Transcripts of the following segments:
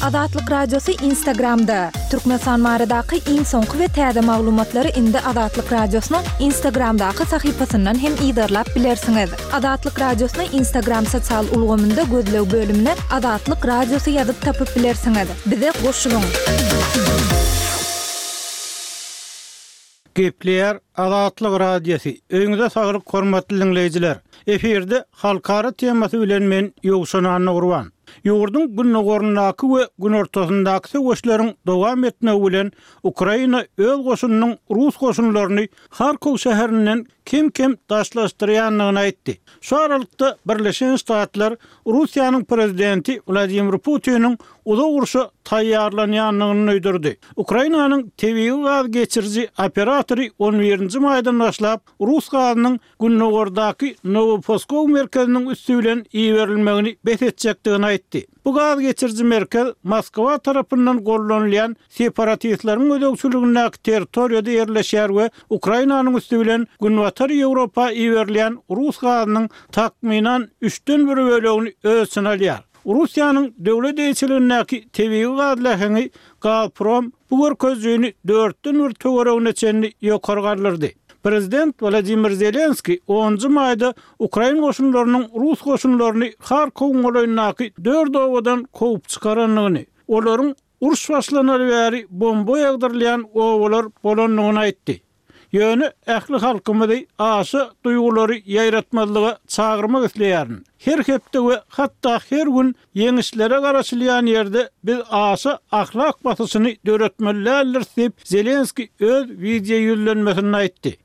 Azatlyk Radiosy Instagramda! Türkmenistan baradaky iň soňky we täze maglumatlary indi Azatlyk Radiosynyň Instagramdaky sahypasyndan hem yzarlap bilersiňiz. Azatlyk Radiosyny Instagram sosial ulgamynda gözleg bölümine Azatlyk Radiosy ýazyp tapyp bilersiňiz. Bize goşulyň! Gepleýär Azatlyk Radiosy, Öýüňize saglyk hormatly diňleýjiler! Efirde halkara temasy bilen men Ýowşan Annagurban. Ýurduň gündogaryndaky we günortasyndaky söweşleriň dowam etmegi bilen Ukraina öz goşunynyň rus goşunlaryny Harkow şäherinden kem-kem daşlaşdyrýandygyny aýtdy. Şu aralykda Birleşen Ştatlar Russiýanyň prezidenti Wladimir Putiniň uzak urşa taýýarlanýandygyny duýdurdy. Ukrainanyň tebigy gaz geçiriji operatory on birinji maýdan başlap rus gazynyň gündogardaky Nowoposkow merkeziniň üsti bilen iberilmegini bes etjekdigini aýtdy. Bu gaz geçiriji merkez Moskwa tarapyndan gollanylýan separatistleriň gözegçiligindäki territoriýada ýerleşýär we Ukrainanyň üsti bilen Günbatar Ýewropa iberilýän rus gazynyň takmynan üçden bir bölegini öz içine alýar. Russiýanyň döwlet eýeçiligindäki tebigy gaz läheňi Gazprom bu görkezijini dörtden bir töweregine çenli ýokary galdyrdy. Prezident Wladimir Zelenskiý onunjy maýda ukrain goşunlarynyň rus goşunlaryny Harkowyň golaýyndaky dört obadan kowup çykarandygyny, olaryň uruş başlanaly bäri bomba ýagdyrylýan obalar bolandygyny aýtdy. Ýöne ähli halkymyzy aşa duýgulary ýaýratmazlyga çagyrmak isleýärin. Her hepde we hatda her gün ýeňişlere garaşylýan ýerde biz aşa ahlak basyşyny döretmeli däldiris diýip, Zelenskiý öz wideo ýüzlenmesinde aýtdy.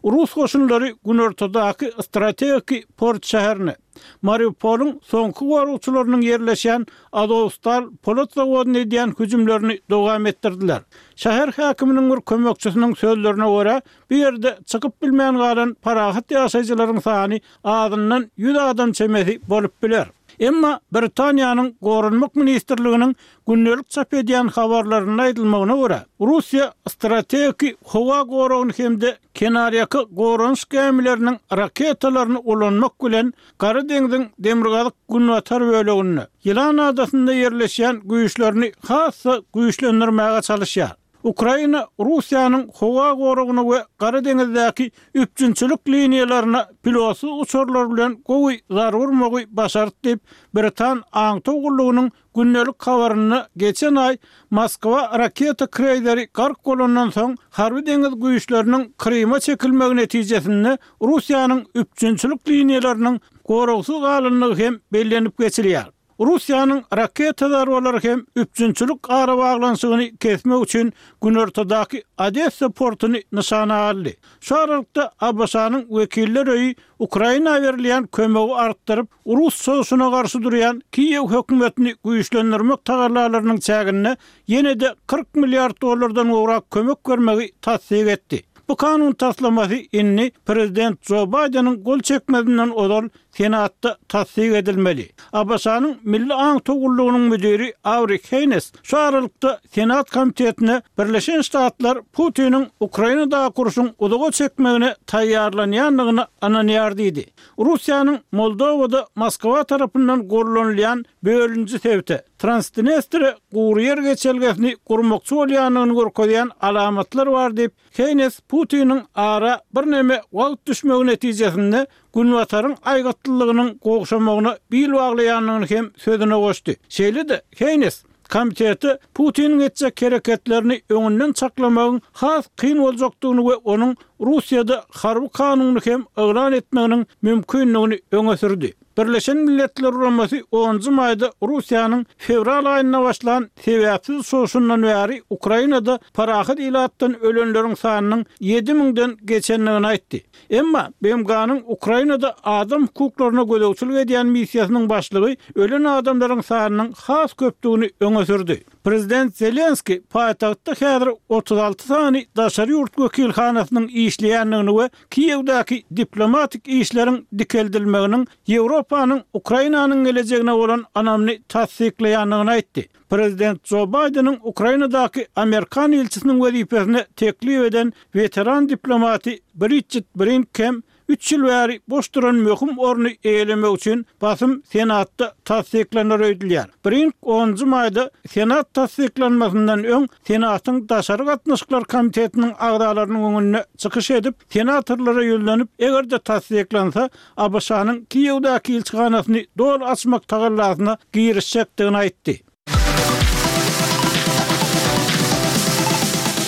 Rus goşunlary günortadaky strategiki port şäherine, Mariupolyň soňky goragçylarynyň ýerleşýän Azowstal polat zawodyna edýän hüjümlerini dowam etdirdiler. Şäher häkiminiň bir kömekçisiniň sözlerine görä, bu ýerde çykyp bilmän galan parahat ýaşaýjylaryň sany azyndan 100 adam çemesi bolup biler. Emma Britaniýanyň Goranmak ministrliginiň gündelik çap edýän habarlarynda aýdylmagyna görä, Russiýa strategiki howa goragyny hem-de kenarýaka goranyş gämileriniň raketalaryny ulanmak bilen Gara deňziň demirgazyk-günbatar böleginde, Ýylan adasynda ýerleşýän güýçlerini has-da güýçlendirmäge çalyşýar. Ukraina Russiýanyň howa goragyna we Gara deňizdäki üpjünçilik liniýalaryna pilotsyz uçarlar bilen gowy zarba urmagy başardy diýip, britan aňtaw gullugynyň Gündelik habarynda geçen aý Moskwa raketa kreýzeri gark bolandan soň harby-deňiz güýçleriniň Kryma çekilmegi netijesinde Russiýanyň üpjünçilik liniýalarynyň goragsyz galandygy hem bellenip geçilýär. Russiýanyň raketa zarbalary hem üpjünçilik arabaglanyşygyny kesmek üçin günortadaky Odessa portuny nyşana aldy. Şu aralykda ABŞ-nyň Wekiller öýi Ukraina berilýän kömegi artdyryp, Rus çozuşyna garşy durýan Kiýew hökümetini güýçlendirmek tagallalarynyň çäginde ýene-de 40 milliard dollardan gowrak kömek bermegi tassyk etdi. Bu kanun taslamasy indi prezident Jo Baýdeniň gol çekmezinden ozal Senatda tassyk edilmeli. ABŞ-nyň Milli aňtaw gullugynyň müdiri Awri Heýnes şu aralykda Senat komitetine Birleşen Ştatlar Putiniň Ukrainadaky urşuň uzaga çekmegine taýýarlanýandygyna ynanýar diýdi. Russiýanyň Moldowada Moskwa tarapyndan gollanylýan bölüniji sebite, Transdnestre gury ýer geçelgesini gurmakçy bolýandygyny görkezýän alamatlar bar diýip, Heýnes Putiniň ara birneme wagt düşmegi netijesinde Günbataryň aýgytlylygynyň gowşamagyna bil baglaýandygyny hem sözüne goşdy. Şeýle-de, Heýnes komitete Putiniň etjek hereketlerini öňünden çaklamagyň has kyn boljakdygyny we onuň Russiýada harby kanuny hem yglan etmeginiň mümkindigini öňe sürdi. Birleşen Milletler Guramasy onunjy maýda Russiýanyň fewral aýynda başlan sebäpsiz çozuşyndan bäri Ukrainada parahat ilatdan ölenleriň sanynyň ýedi müňden geçendigini aýtdy. Emma BMG-niň Ukrainada adam hukuklaryna gözegçilik edýän missiýasynyň başlygy ölen adamlaryň sanynyň has köpdügini öňe sürdi. Prezident Zelenskiý paýtagtda häzir 36 sany daşary ýurt wekilhanasynyň işleýändigini we Kiýewdäki diplomatik işleriň dikeldilmeginiň Ýewropanyň Ukrainanyň gelejegine bolan ynamyny tassyklaýandygyny aýtdy. Prezident Jo Baýdeniň Ukrainadaky amerikan ilçisiniň wezipesine teklip eden weteran diplomaty Bridjit Brink hem. Üç ýyl bäri boş duran möhüm orny eýelemek üçin basym Senatda tassyklanar öýdülýär. Brink onunjy maýda Senat tassyklanmasyndan öň Senatyň Daşary gatnaşyklar komitetiniň agzalarynyň öňünde çykyş edip, senatorlara ýüzlenip, eger-de tassyklansa, ABŞ-nyň Kiýewdäki ilçihanasyny doly açmak tagallasyna girişjekdigini aýtdy.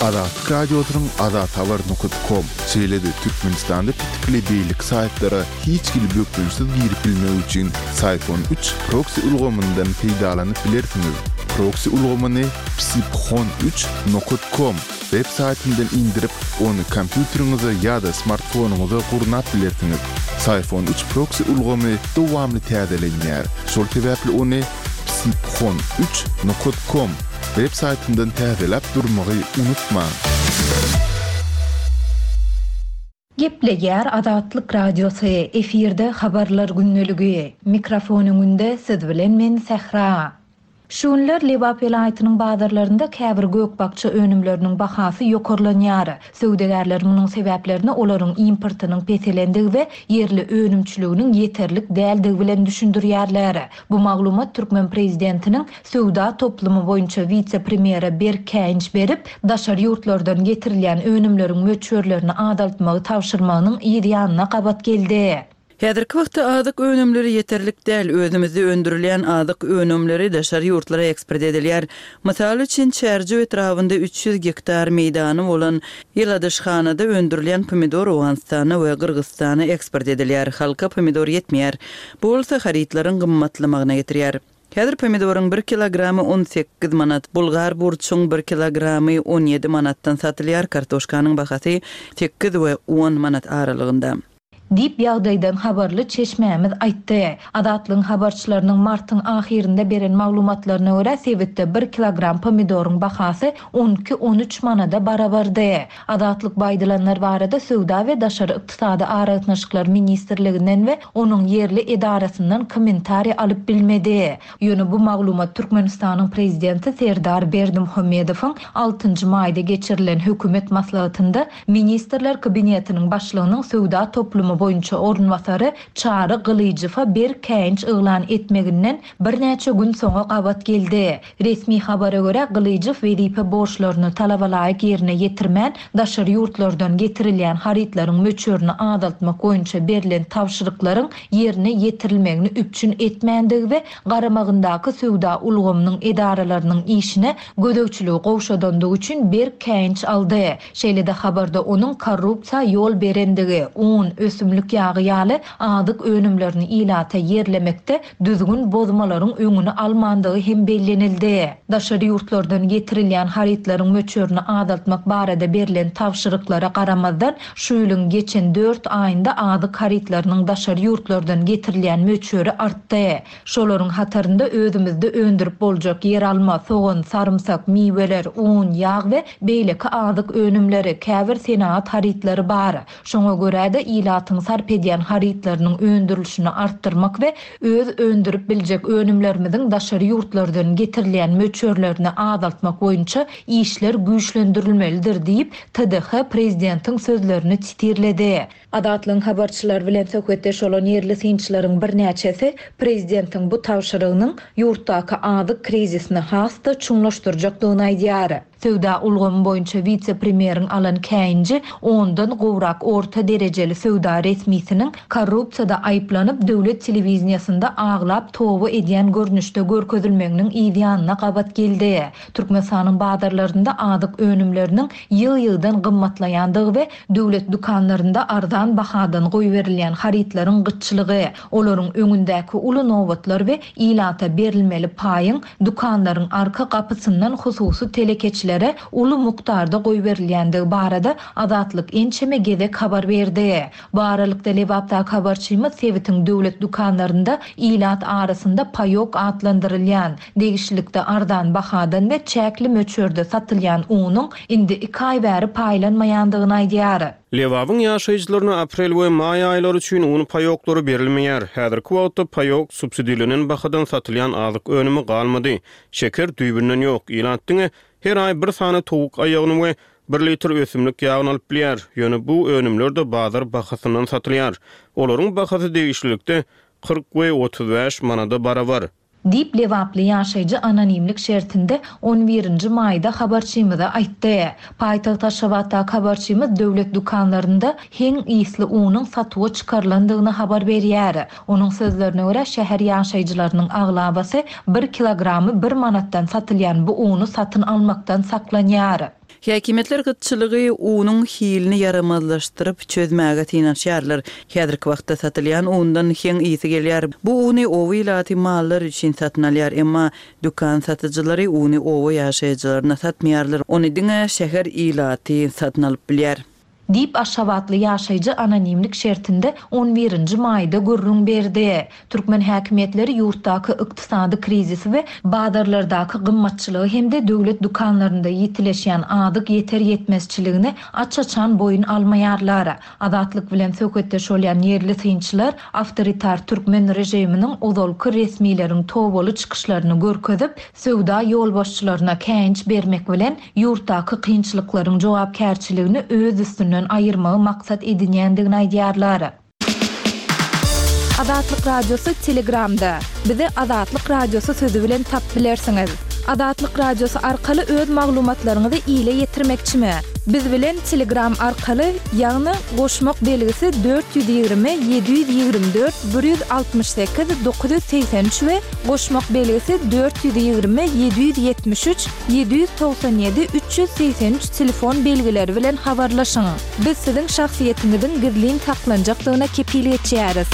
Azatlyk Radiosynyň azathabar nokat kom, şeýle-de Türkmenistanda petikli beýleki saýtlara hiç hili bökdençsiz girip bilmek üçin Syphon üç proksi ulgamyndan peýdalanyp bilersiňiz. Proksi ulgamyny psiphon üç nokat kom web saýtyndan indirip, ony kompýuteriňize ýa-da smartfonyňyza gurnap bilersiňiz. Syphon üç proksi ulgamy dowamly täzelenýär, şol sebäpli ony Psiphon üç nokat kom web saýtyndan täzeläp durmagy unutmaň! Gepleýär Azatlyk Radiosy, efirde Habarlar gündeligi. Mikrofon öňünde siz bilen men Sähra. Şu günler Lebap welaýatynyň bazarlarynda käbir gök-bakja önümleriniň bahasy ýokarlanýar. Söwdagärler munuň sebäplerini olaryň importynyň peselendigi we ýerli önümçiliginiň ýeterlik däldigi bilen düşündirýärler. Bu maglumat türkmen prezidentiniň söwda toplumy boýunça wise-premýere berk käýinç berip, daşary ýurtlardan getirilýän önümleriň möçberlerini azaltmagy tabşyrmagynyň yz ýanyna gabat geldi. Häzirki wagtda azyk önümleri ýeterlik däl, özümizde öndürilýän azyk önümleri daşary ýurtlara eksport edilýär. Mysal üçin, Çärjew etrabynda 300 gektar meýdany bolan ýyladyşhanada öndürilýän pomidor Owganystana we Gyrgyzystana eksport edilýär. Halka pomidor ýetmeýär. Bu bolsa harytlaryň gymmatlamagyna getirýär. Häzir pomidoryň bir kilogramy 18 manat, bulgar burçuň bir kilogramy 17 manatdan satylýar, kartoşkanyň bahasy sekiz we on manat aralygynda. Diýip, ýagdaýdan habarly çeşmämiz aýtdy. Azatlygyň habarçylarynyň martyň ahyrynda beren maglumatlaryna görä, sebitde bir kilogram pomidoryň bahasy on iki-on üç manada barabardy. Azatlyk bu aýdylanlar barada Söwda we daşary ykdysady aragatnaşyklar ministrliginden we onuň ýerli edarasyndan kommentariý alyp bilmedi. Ýöne bu maglumat Türkmenistanyň prezidenti Serdar Berdimuhamedowyň altynjy maýda geçirilen hökümet maslahatynda Ministrler Kabinetiniň başlygynyň söwda toplumy boýunça orunbasary Çary Gylyjowa berk käýinç yglan etmeginden birnäçe gün soňa gabat geldi. Resmi habara görä, Gylyjow wezipe borçlaryny talabalaýyk ýerine ýetirmän, daşary ýurtlardan getirilýän harytlaryň möçberini azaltmak boýunça berlen tabşyryklaryň ýerine ýetirilmegini üpjün etmändigi we garamagyndaky söwda ulgamynyň edaralarynyň işine gözegçiligi gowşadandygy üçin berk käýinç aldy. Şeýle-de habarda onuň korrupsiýa ýol berendigi, un, ösümlik ýagy ýaly azyk önümlerini ilata ýerlemekde düzgün bozmalaryň öňüni almandygy hem bellenildi. Daşary ýurtlardan getirilýän harytlaryň möçberini azaltmak barada berlen tabşyryklara garamazdan, şu ýylyň geçen dört aýynda azyk harytlarynyň daşary ýurtlardan getirilýän möçberi artdy. Şolaryň hatarynda özümizde öndürip boljak ýeralma, sogan, sarymsak, miweler, un, ýag we beýleki azyk önümleri, käbir senagat harytlary bar. Şoňa görä-de, ilatyň sarp edýän harytlarynyň öndürilişini artdyrmak we öz öndürip biljek önümlerimiziň daşary ýurtlardan getirilýän möçberlerini azaltmak boýunça işler güýçlendirilmelidir diýip, TDH prezidentiň sözlerini sitirledi. Azatlygyň habarçylary bilen söhbetdeş bolan ýerli synçylaryň birnäçesi prezidentiň bu tabşyrygynyň ýurtdaky azyk krizisini has-da çuňlaşdyrjakdygyny aýdýar. Söwda ulgamy boýunça wise-premýeriň alan käýinji ondan gowrak orta derejeli söwda resmisiniň korrupsiýada aýyplanyp, döwlet telewideniýesinde aglap toba edýän görnüşde görkezilmeginiň yzýanyna gabat geldi. Türkmenistanyň bazarlarynda azyk önümleriniň ýygy-ýygydan gymmatlaýandygy we döwlet dükanlarynda arzan bahadan goýberilýän harytlaryň gytçylygy, olaryň öňündäki uly nobatlar we ilata berilmeli paýyň dükanlaryň arka gapysyndan hususy telekeçilere uly mukdarda goýberilýändigi barada Azatlyk ençeme gezek habar berdi. Bu aralykda, Lebapdaky habarçymyz sebitiň döwlet dükanlarynda ilat arasynda paýok atlandyrylýan, degişlilikde arzan bahadan we çäkli möçberde satylýan unuň indi iki aý bäri paýlanmaýandygyny aýdýar. Lebabyň ýaşaýjylaryna aprel we maý aýlary üçin un paýoklary berilmeýär. Häzirki wagtda paýok, subsidirlenen bahadan satylýan azyk önümi galmady. Şeker düýbünden ýok. Ilat diňe her aý bir sany towuk aýagyny we. bir litr ösümlik ýagyny alyp bilýär. Ýöne bu önümler-de bazar bahasyndan satylýar. Olaryň bahasy degişlilikde 40 we 35 manada barabar. Diýip, lebaply ýaşaýjy anonimlik şertinde on birinji maýda habarçymyza aýtdy. Paýtagt Aşgabatdaky habarçymyz döwlet dükanlarynda heň ysly unuň satuwa çykarylandygyny habar berýär. Onuň sözlerine görä, şäher ýaşaýjylarynyň aglabasy bir kilogramy bir manatdan satylýan bu uny satyn almakdan saklanýar. Häkimiýetler gytçylygy unuň hilini ýaramazlaşdyryp çözmäge synanyşýarlar. Häzirki wagtda satylýan undan heň ysy gelýär. Bu uny oba ilaty mallar üçin satyn alýar. Emma dükan satyjylary uny oba ýaşaýjylaryna satmaýarlar. Ony diňe şäher ilaty satyn alyp bilýär. Diýip, aşgabatly ýaşaýjy anonimlik şertinde on birinji maýda gürrüň berdi. Türkmen häkimiýetleri ýurtdaky ykdysady krizisi we bazarlardaky gymmatçylygy hem-de döwlet dükanlarynda ýitileşýän azyk ýeter-ýetmezçiligini aç-açan boýun almaýarlar. Azatlyk bilen söhbetdeş bolýan ýerli synçylar awtoritar türkmen režiminiň ozalky resmileriň tobaly çykyşlaryny görkezip, söwda ýolbaşçylaryna käýinç bermek bilen, ýurtdaky kynçylyklaryň jogapkärçiligini öz üstünden aýyrmagy maksat edinýändigini aýdýarlar. Azatlyk Radiosy Telegramda, Bizi Azatlyk Radiosy sözi bilen tapyp bilersiňiz. Azatlyk Radiosy arkaly öz maglumatlaryňyzy ile ýetirmekçimi? Biz bilen Telegram arkaly, ýagny goşmak belgisi 420 724 168 983 we goşmak belgisi 420 773 797 383 telefon belgileri bilen habarlaşyň. Biz siziň şahsyýetiňiziň gizlin saklanjakdygyna kepil geçýäris.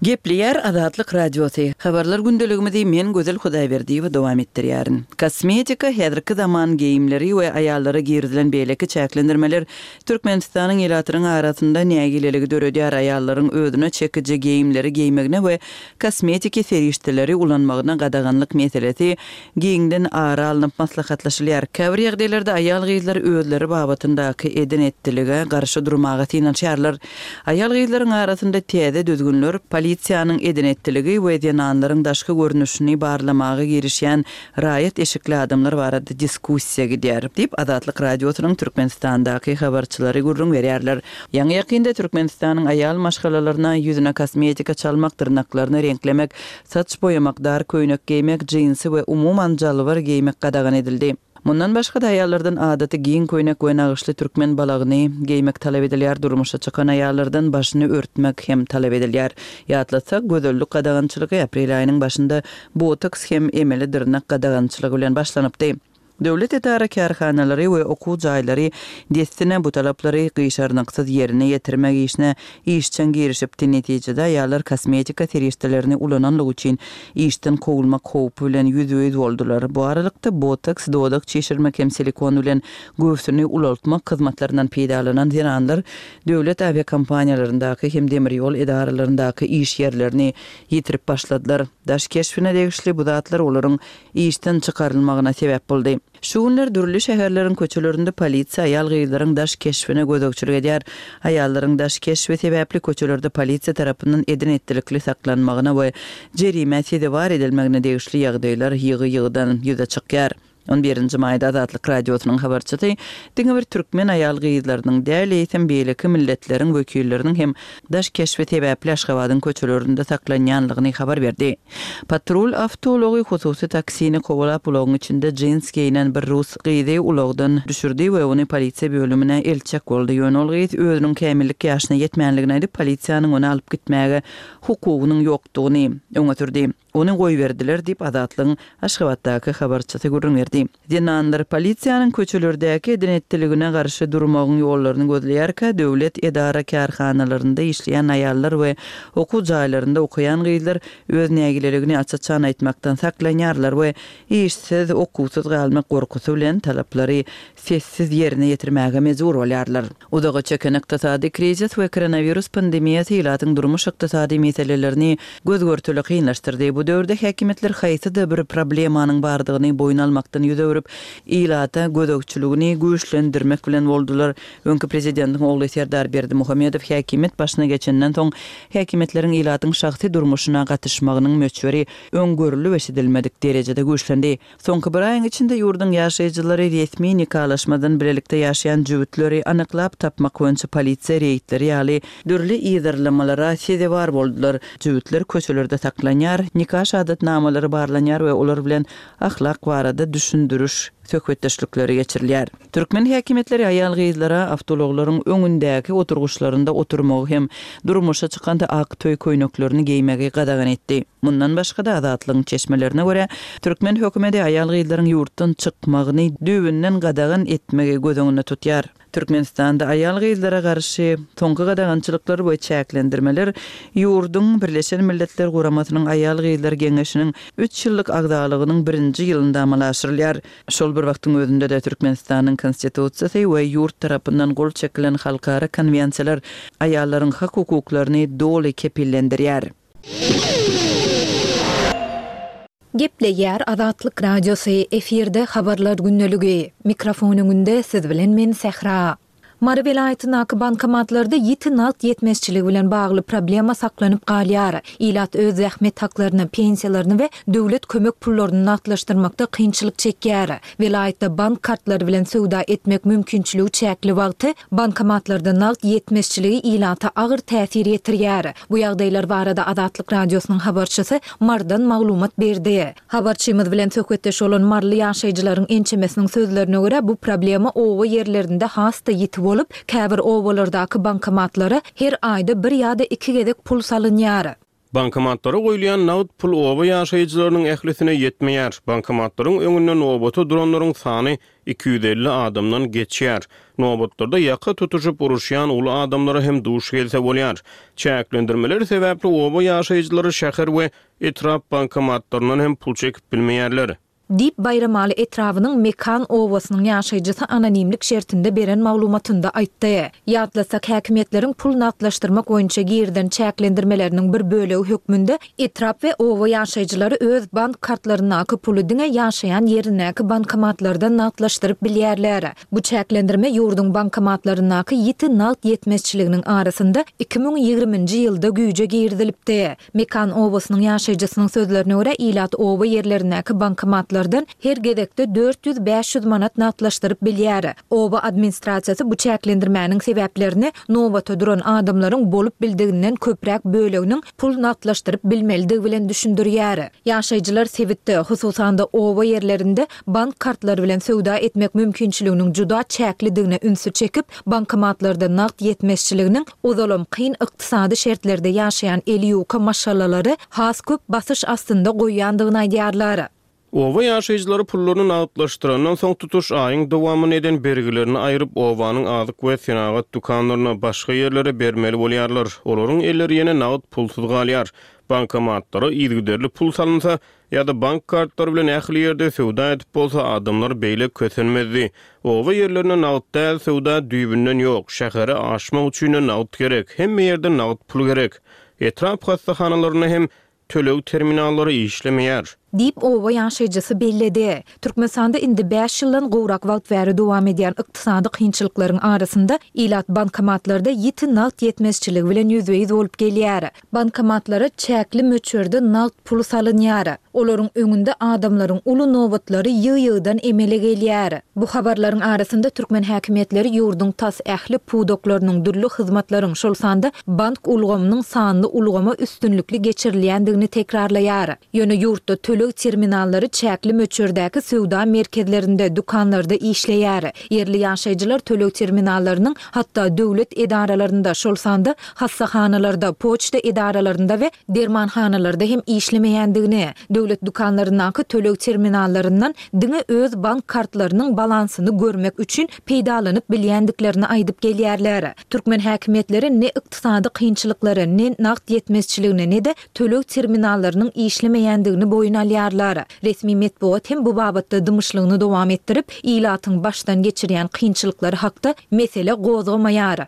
Gepleýär Azatlyk Radiosy. Habarlar gündeligimizi men Gözel Hudaýberdiýewa dowam etdirýärin. Kosmetika, häzirki zaman geýimleri we aýallara girizilen beýleki çäklendirmeler Türkmenistanyň ilatynyň arasynda nägileligi döredýär, aýallaryň özüne çekiji geýimleri geýmegine we kosmetiki serişdeleri ulanmagyna gadaganlyk meselesi giňden ara alnyp maslahatlaşylýar. Käbir ýagdaýlarda aýal-gyzlar özleri babatyndaky eden-etdilige garşy durmaga synanyşýarlar. Aýal-gyzlaryň arasynda täze düzgünler, polisiýanyň eden-etdiligi we zenanlaryň daşky görnüşini barlamaga girişýän raýat eşikli adamlar barada diskussiýa gidýär, diýip, Azatlyk Radiosynyň Türkmenistandaky habarçylary gürrüň berýärler. Ýaňy-ýakynda Türkmenistanyň aýal maşgalalaryna ýüzüne kosmetika çalmak, dyrnaklaryny reňklemek, saç boýamak, dar köýnek geýmek, jinsi we umuman jalbar geýmek gadagan edildi. Mundan başga-da aýallardan adaty giň köýnek we nagyşly türkmen balagyny geýmek talap edilýär, durmuşa çykan aýallardan başyny örtmek hem talap edilýär. Ýatlatsak, gözellik gadagançylygy aprel aýynyň başynda botoks hem emeli dyrnak gadagançylygy bilen başlanypdy. Döwlet edara-kärhanalary we okuw jaýlary dessine bu talaplary gyşarnyksyz ýerine ýetirmek işine işjeň girişipdi, netijede aýallar kosmetika serişdelerini ulananlygy üçin işden kowulmak howpy bilen ýüzbe-ýüz boldular. Bu aralykda, botoks, dodak çişirmek hem silikon bilen göwsüni ulaltmak hyzmatlaryndan peýdalanan zenanlar döwlet awiakompaniýalaryndaky hem demir ýol edaralaryndaky iş ýerlerini ýitirip başladylar. Daş keşbine degişli bu zatlar olaryň işden çykarylmagyna sebäp boldy. Şu günler dürli şäherleriň köçelerinde polisiýa aýal-gyzlaryň daş keşbine gözegçilik edýär. Aýallaryň daş keşbi sebäpli köçelerde polisiýa tarapyndan eden-etdilikli saklanmagyna we jerimä sezewar edilmegine degişli ýagdaýlar ýygy-ýygydan ýüze çykýar. On birinji maýda Azatlyk Radiosynyň habarçysy diňe bir türkmen aýal-gyzlarynyň däl, eýsem beýleki milletleriň wekilleriniň hem daş keşbi sebäpli Aşgabadyň köçelerinde saklanýanlygyny habar berdi. Patrul awtoulagy hususy taksini kowalap, ulagyň içinde jins geýnen bir rus gyzy ulagdan düşürdi we ony polisiýa bölümine eltjek boldy. Ýöne ol gyz özüniň kämillik ýaşyna ýetmänligini aýdyp, polisiýanyň ony alyp gitmäge hukugynyň ýokdugyny öňe sürdi. Ony goýberdiler diýip, Azatlygyň Aşgabatdaky habarçysy gürrüň berdi. Zenanlar polisiýanyň köçelerdäki eden-etdiligine garşy durmagyň ýollaryny gözleýärkä, döwlet edara-kärhanalarynda işleýän aýallar we okuw jaýlarynda okaýan gyzlar öz nägileligini aç-açan aýtmakdan saklanýarlar we işsiz, okuwsyz galmak gorkusy bilen talaplary sessiz ýerine ýetirmäge mejbur bolýarlar. Uzaga çeken ykdysady krizis we koronawirus pandemiýasy ilatyň durmuş-ykdysady meselelerini göz-görtele kynlaşdyrdy. Bu döwürde häkimiýetler haýsyda bir problemanyň bardygyny boýun almakdan. ýüz öwrüp, ilata gözegçiligini güýçlendirmek bilen boldular. Öňki prezidentiň ogly Serdar Berdimuhamedow häkimiýet başyna geçenden soň, häkimiýetleriň ilatyň şahsy durmuşyna gatyşmagynyň möçberi öň görlüp-eşidilmedik derejede güýçlendi. Soňky bir aýyň içinde ýurduň ýaşaýjylary resmi nikalaşmadan bilelikde ýaşaýan jübütleri anyklap tapmak boýunça polisiýa reýdleri ýaly dürli yzarlamalara sezewar boldular. Jübütler köçelerde saklanýar, nika şahadatnamalary barlanýar we olar bilen ahlak barada düşündiriş söhbetdeşlikleri geçirilýär. Türkmen häkimiýetleri aýal-gyzlara awtoulaglaryň öňündäki oturgyçlarynda oturmagy hem durmuşa çykanda ak toý köýneklerini geýmegi gadagan etdi. Mundan başga-da, Azatlygyň çeşmelerine görä, türkmen hökümeti aýal-gyzlaryň ýurtdan çykmagyny düýbünden gadagan etmegi göz öňünde tutýar. Türkmenistanda aýal-gyzlara garşy soňky gadagançylyklar we çäklendirmeler ýurduň Birleşen Milletler Guramasynyň Aýal-gyzlar geňeşiniň üç ýyllyk agzalygynyň birinji ýylynda amala aşyrylýar. Şol bir wagtyň özünde-de Türkmenistanyň Konstitusiýasy we ýurt tarapyndan gol çekilen halkara konwensiýalar aýallaryň hak-hukuklaryny doly kepillendirýär. Gepleýär Azatlyk Radiosy, efirde Habarlar gündeligi. Mikrofon öňünde siz bilen men Sähra. Mary welaýatyndaky bankomatlarda ýiti nagt ýetmezçiligi bilen bagly problema saklanyp galýar. Ilat öz zähmet haklaryny, pensiýalaryny we döwlet kömek pullaryny nagtlaşdyrmakda kynçylyk çekýär. Welaýatda bank kartlary bilen söwda etmek mümkinçiligi çäkli wagty, bankomatlarda nagt ýetmezçiligi ilata agyr täsir ýetirýär. Bu ýagdaýlar barada Azatlyk Radiosynyň habarçysy Marydan maglumat berdi. Habarçymyz bilen söhbetdeş bolan maryly ýaşaýjylaryň ençemesiniň sözlerine görä, bu problema oba ýerlerinde has-da ýiti bolup, käbir obalardaky bankomatlara her aýda bir ýa-da iki gezek pul salynýar. Bankomatlara goýulýan nagt pul oba ýaşaýjylarynyň ählisine ýetmeýär. Bankomatlaryň öňünde nobata duranlaryň sany 250 adamdan geçýär. Nobatlarda ýaka tutuşyp uruşýan uly adamlara hem duş gelse bolýar. Çäklendirmeler sebäpli oba ýaşaýjylary şäher we etrap bankomatlaryndan hem pul çekip bilmeýärler. Diýip, Baýramaly etrabynyň Mekan obasynyň ýaşaýjysy anonimlik şertinde beren maglumatynda aýtdy. Ýatlatsak, häkimiýetleriň pul nagtlaşdyrmak boýunça girizen çäklendirmeleriniň bir bölegi hökmünde etrap we oba ýaşaýjylary öz bank kartlaryndaky puly diňe ýaşaýan ýerindäki bankomatlardan nagtlaşdyryp bilýärler. Bu çäklendirme ýurduň bankomatlaryndaky ýiti nagt ýetmezçiliginiň arasynda 2020-nji ýylda güýje girizilipdi. Mekan obasynyň ýaşaýjysynyň sözlerine görä, ilat oba ýerlerindäki bankomatlardan her gezekde 400-500 manat nagtlaşdyryp bilýär. Oba administrasiýasy bu çäklendirmäniň sebäplerini nobata duran adamlaryň bolup bildiginden köpräk böleginiň pul nagtlaşdyryp bilmelidigi bilen düşündirýär. Ýaşaýjylar sebitde, hususan-da oba ýerlerinde bank kartlary bilen söwda etmek mümkinçiliginiň juda çäklidigine ünsi çekip, Bankomatlarda nagt ýetmezçiliginiň ozalam kyn ykdysady şertlerde ýaşaýan eli ýuka maşgalalary has köp basyş astynda goýýandygyny aýdýarlar. Oba ýaşaýjylary pullaryny nagtlaşdyrandan soň tutuş aýyň dowamynda eden bergilerini aýryp, obanyň azyk we senagat dükanlaryna, başga ýerlere bermeli bolýarlar. Olaryň elleri ýene nagt pulsuz galýar. Bankomatlara yzygiderli pul salynsa, Ýa-da bank kartlary bilen ähli ýerde söwda edip bolsa adamlar beýle kösenmezdi. Oba ýerlerinde nagt däl söwda düýbünden ýok. Şähere aşmak üçin-de nagt gerek. Hemme ýerde nagt pul gerek. Etrap hassahanalarynda hem töleg terminallary işlemeýär. Diýip, oba ýaşaýjysy belledi. Türkmenistanda indi bäş ýyldan gowrak wagt bäri dowam edýän ykdysady kynçylyklaryň arasynda ilat bankomatlarda ýiti nagt ýetmezçiligi bilen ýüzbe-ýüz bolup gelýär. Bankomatlara çäkli möçberde nagt pul salynýar. Olaryň öňünde adamlaryň uly nobatlary ýygy-ýygydan emele gelýär. Bu habarlaryň arasynda türkmen häkimiýetleri ýurduň tas ähli pudaklarynyň, dürli hyzmatlaryň, şol sanda bank ulgamynyň sanly ulgama üstünlikli geçirilýändigini tekrarlaýar. Ýöne ýurtda töleg terminallary çäkli möçberdäki söwda merkezlerinde, dükanlarda işleýär. Ýerli ýaşaýjylar töleg terminallarynyň hatda döwlet edaralarynda, şol sanda hassahanalarda, poçta edaralarynda we dermanhanalarda hem işlemeýändigini, döwlet dükanlaryndaky töleg terminallaryndan diňe öz bank kartlarynyň balansyny görmek üçin peýdalanyp bilýändiklerini aýdyp gelýärler. Türkmen häkimiýetleri ne ykdysady kynçylyklary, ne nagt ýetmezçiligini, ne-de töleg terminallarynyň işlemeýändigini boýun alýarlar. Resmi metbugat hem bu babatda dymyşlygyny dowam etdirip, ilatyň başdan geçirýän kynçylyklary hakda mesele gozgamaýar.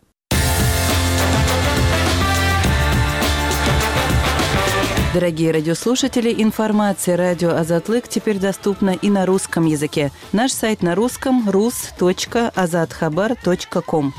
Дорогие радиослушатели, информация радио Азатлык теперь доступна и на русском языке. Наш сайт на русском rus.azathabar.com.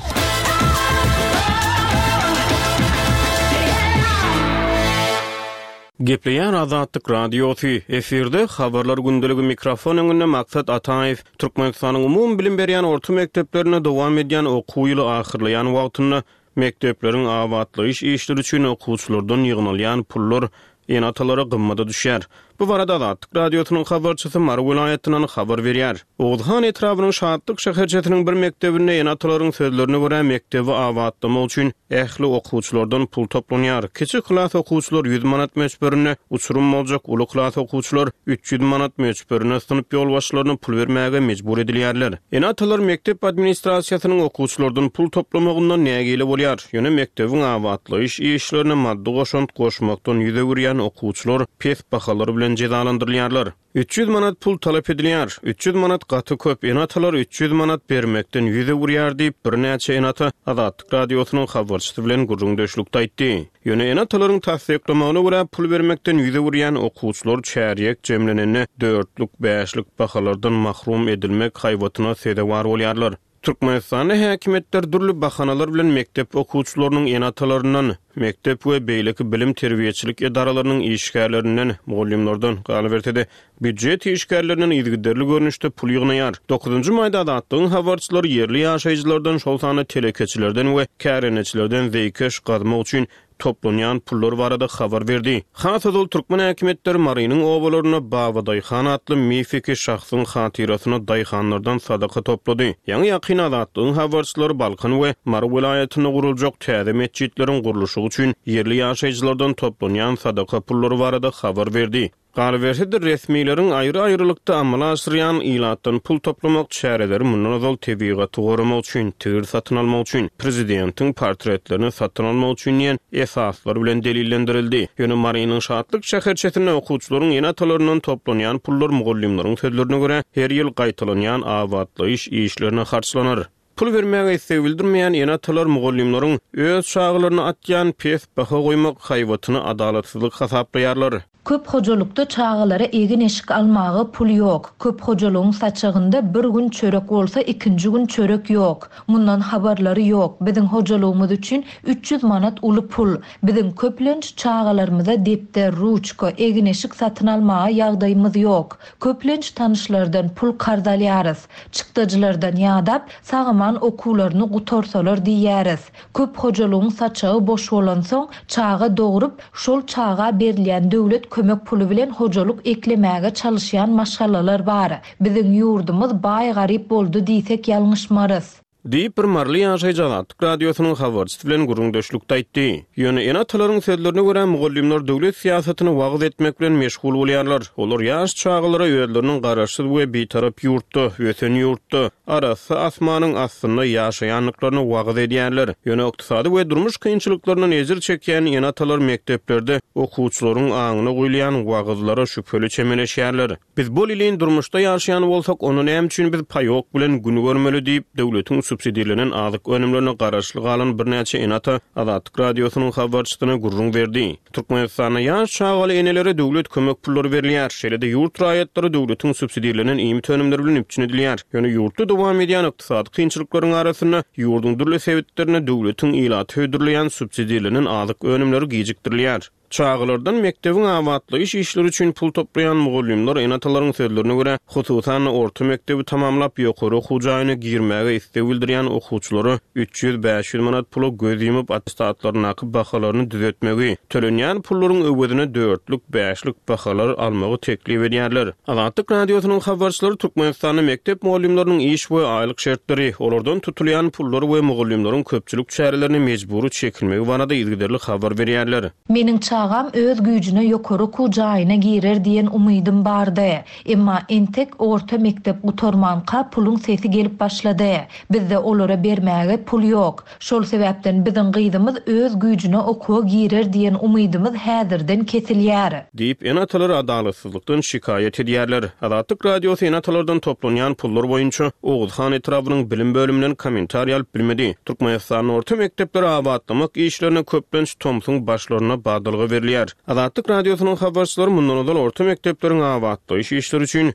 Gepleýär Azatlyk Radiosy, efirde Habarlar gündeligi mikrofon öňünde Maksat Ataýew. Türkmenistanyň umumybilim berýän orta mekdeplerinde dowam edýän okuw ýyly ahyrlaýan wagtynda mekdepleriň abatlaýyş işleri üçin okuwçylardan ýygnalýan pullar ene-atalara gymmada düşýär. Bu barada Azatlyk Radiosynyň habarçysy Mary welaýatyndan habar berýär. Oguzhan etrabynyň Şatlyk şäherçesiniň bir mekdebinde ene-atalaryň sözlerine görä, mekdebi abatlamak üçin ähli okuwçylardan pul toplanýar. Kiçi klas okuwçylar ýüz manat möçberinde, uçurym boljak uly klas okuwçylar 300 manat möçberinde synp ýolbaşçylaryna pul bermäge mejbur edilýärler. Ene-atalar mekdep administrasiýasynyň okuwçylardan pul toplamagyndan nägile bolýar. Ýöne mekdebiň abatlaýyş işlerine maddy goşant goşmakdan ýüz öwürýän okuwçylar pes bahalar bilen jezalandyrylýarlar. 300 manat pul talap edilýär. 300 manat gaty köp, ene-atalar 300 manat bermekden ýüz öwürýär diýip, birnäçe ene-ata Azatlyk Radiosynyň habarçysy bilen gürrüňdeşlikde aýtdy. Ýöne ene-atalaryň tassyklamagyna görä, pul bermekden ýüz öwürýän okuwçylar çärýek jemlenende dörtlük, bäşlik bahalardan mahrum edilmek haýbatyna sezewar bolýarlar. Türkmenistanda häkimiýetler dürli bahanalar bilen mekdep okuwçylarynyň ene-atalaryndan, mekdep we beýleki bilim-terbiýeçilik edaralarynyň işgärlerinden, mugallymlardan, galyberse-de, býujet işgärlerinden yzygiderli görnüşde pul ýygnaýar. Dokuzynjy maýda Azatlygyň habarçylary ýerli ýaşaýjylardan, şol sanda telekeçilerden we kärendeçilerden zeýkeş gazmak üçin toplanýan pullar barada habar berdi. Has ozal türkmen häkimiýetleri Marynyň obalarynda Babadaýhan atly mifiki şahsyň hatyrasyna daýhanlardan sadaka toplady. Ýaňy-ýakyn Azatlygyň habarçylary Balkan we Mary welaýatynda guruljak täze metjitleriň gurluşygy üçin ýerli ýaşaýjylardan toplanýan sadaka pullary barada habar berdi. Galyberse-de, resmileriň aýry-aýrylykda amala aşyrýan ilatdan pul toplamak çäreleri mundan ozal tebigaty goramak üçin, tigir satyn almak üçin, prezidentiň portretlerini satyn almak üçin diýen esaslar bilen delillendirildi. Ýöne Marynyň Şatlyk şäherçesinde okuwçylaryň ene-atalaryndan toplanýan pullar mugallymlaryň sözlerine görä, her ýyl gaýtalanýan abatlaýyş işlerine harçlanar. Pul bermäge isleg bildirmeýän ene-atalar mugallymlaryň öz çagalaryna atýan pes baha goýmak haýbatyny adalatsyzlyk hasaplaýarlar. Köp hojalykda çagalara egin-eşik almaga pul ýok. Köp hojalygyň saçagynda bir gün çörek bolsa ikinji gün çörek ýok. Mundan habarlary ýok. Biziň hojalygymyz üçin 300 manat uly pul. Biziň köplenç çagalarymyza depder, ruçka, egin-eşik satyn almaga ýagdaýymyz ýok. Köplenç tanyşlardan pul karz alýarys. Çykdajylardan ýadap, sag-aman okuwlaryny gutarsalar diýýäris. Köp hojalygyň saçagy boş bolansoň, çaga dogrup, şol çaga berilýän döwlet kömek puly bilen hojalyk eklemäge çalyşýan maşgalalar bar. Biziň ýurdumyz baý-garyp boldy diýsek ýalňyşmarys. Diýip, bir maryly ýaşaýjy Azatlyk Radiosynyň habarçysy bilen gürrüňdeşlikde aýtdy. Ýöne ene-atalaryň sözlerine görä, mugallymlar döwlet syýasatyny wagyz etmek bilen meşgul bolýarlar. Olar ýaş çagalara özleriniň garaşsyz we bitarap ýurtda, ösen ýurtda, arassa asmanyň astynda ýaşaýandyklaryny wagyz edýärler. Ýöne ykdysady we durmuş kynçylyklaryndan ejir çekýän ene-atalar mekdeplerde okuwçylaryň aňyna guýulýan wagyzlara şübheli çemeleşýärler. Biz bolelin durmuşda ýaşaýan bolsak, onda näme üçin biz paýok bilen gün görmeli diýip, döwletiň subsidirlenen azyk önümlerine garaşly galan birnäçe ene-ata Azatlyk Radiosynyň habarçysyna gürrüň berdi. Türkmenistanda ýaş çagaly enelere döwlet kömek pullary berilýär. Şeýle-de ýurt raýatlary döwletiň subsidirlenen iýmit önümleri bilen üpjün edilýär. Ýöne ýurtda dowam edýän ykdysady kynçylyklaryň arasynda, ýurduň dürli sebitlerinde döwletiň ilata hödürleýän subsidirlenen azyk önümleri gijikdirilýär. Çagalardan mekdebiň abatlaýyş işleri üçin pul toplaýan mugallymlar ene-atalaryň sözlerine görä, hususan-da, orta mekdebi tamamlap, ýokary okuw jaýyna girmäge isleg bildirýän okuwçylara 300-500 manat pula göz ýumup, attestatlaryndaky bahalaryny düzetmegi, tölenýän pullaryň öwezine dörtlük, bäşlik bahalar almagy teklip edýärler. Azatlyk Radiosynyň habarçylary Türkmenistanda mekdep mugallymlarynyň iş we aýlyk şertleri, olardan tutulýan pullar we mugallymlaryň köpçülik çärelerine mejbury çekilmegi barada yzygiderli habar berýärler. Meniň çagam öz güýjüne ýokary okuw jaýyna girer diýen umydym bardy. Emma entek orta mekdep gutarmanka puluň sesi gelip başlady. Bizde olara bermäge pul ýok. Şol sebäpden biziň gyzymyz öz güýjüne okuwa girer diýen umydymyz häzirden kesilýär. Diýip, ene-atalar adalatsyzlykdan şikaýat edýärler. Azatlyk Radiosy ene-atalardan toplanýan pullar boýunça Oguzhan etrabynyň bilim bölüminden kommentariý alyp bilmedi. Türkmenistanda orta mekdepleri abatlamak işlerine köplenç tomsuň başlarynda badalga. berilýär. Azatlyk Radiosynyň habarçylary mundan ozal orta mekdepleriň abatlaýyş işleri üçin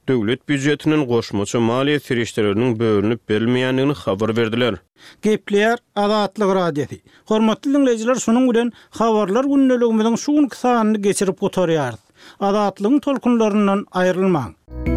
döwlet býujetinden goşmaça maliýe serişdeleriniň bölünip berilmeýändigini habar berdiler. Gepleýär Azatlyk Radiosy. Hormatly diňleýjiler şunuň bilen Habarlar gündeligimiziň şu günki sanyny geçirip gutarýarys. Azatlygyň tolkunlaryndan aýrylmaň.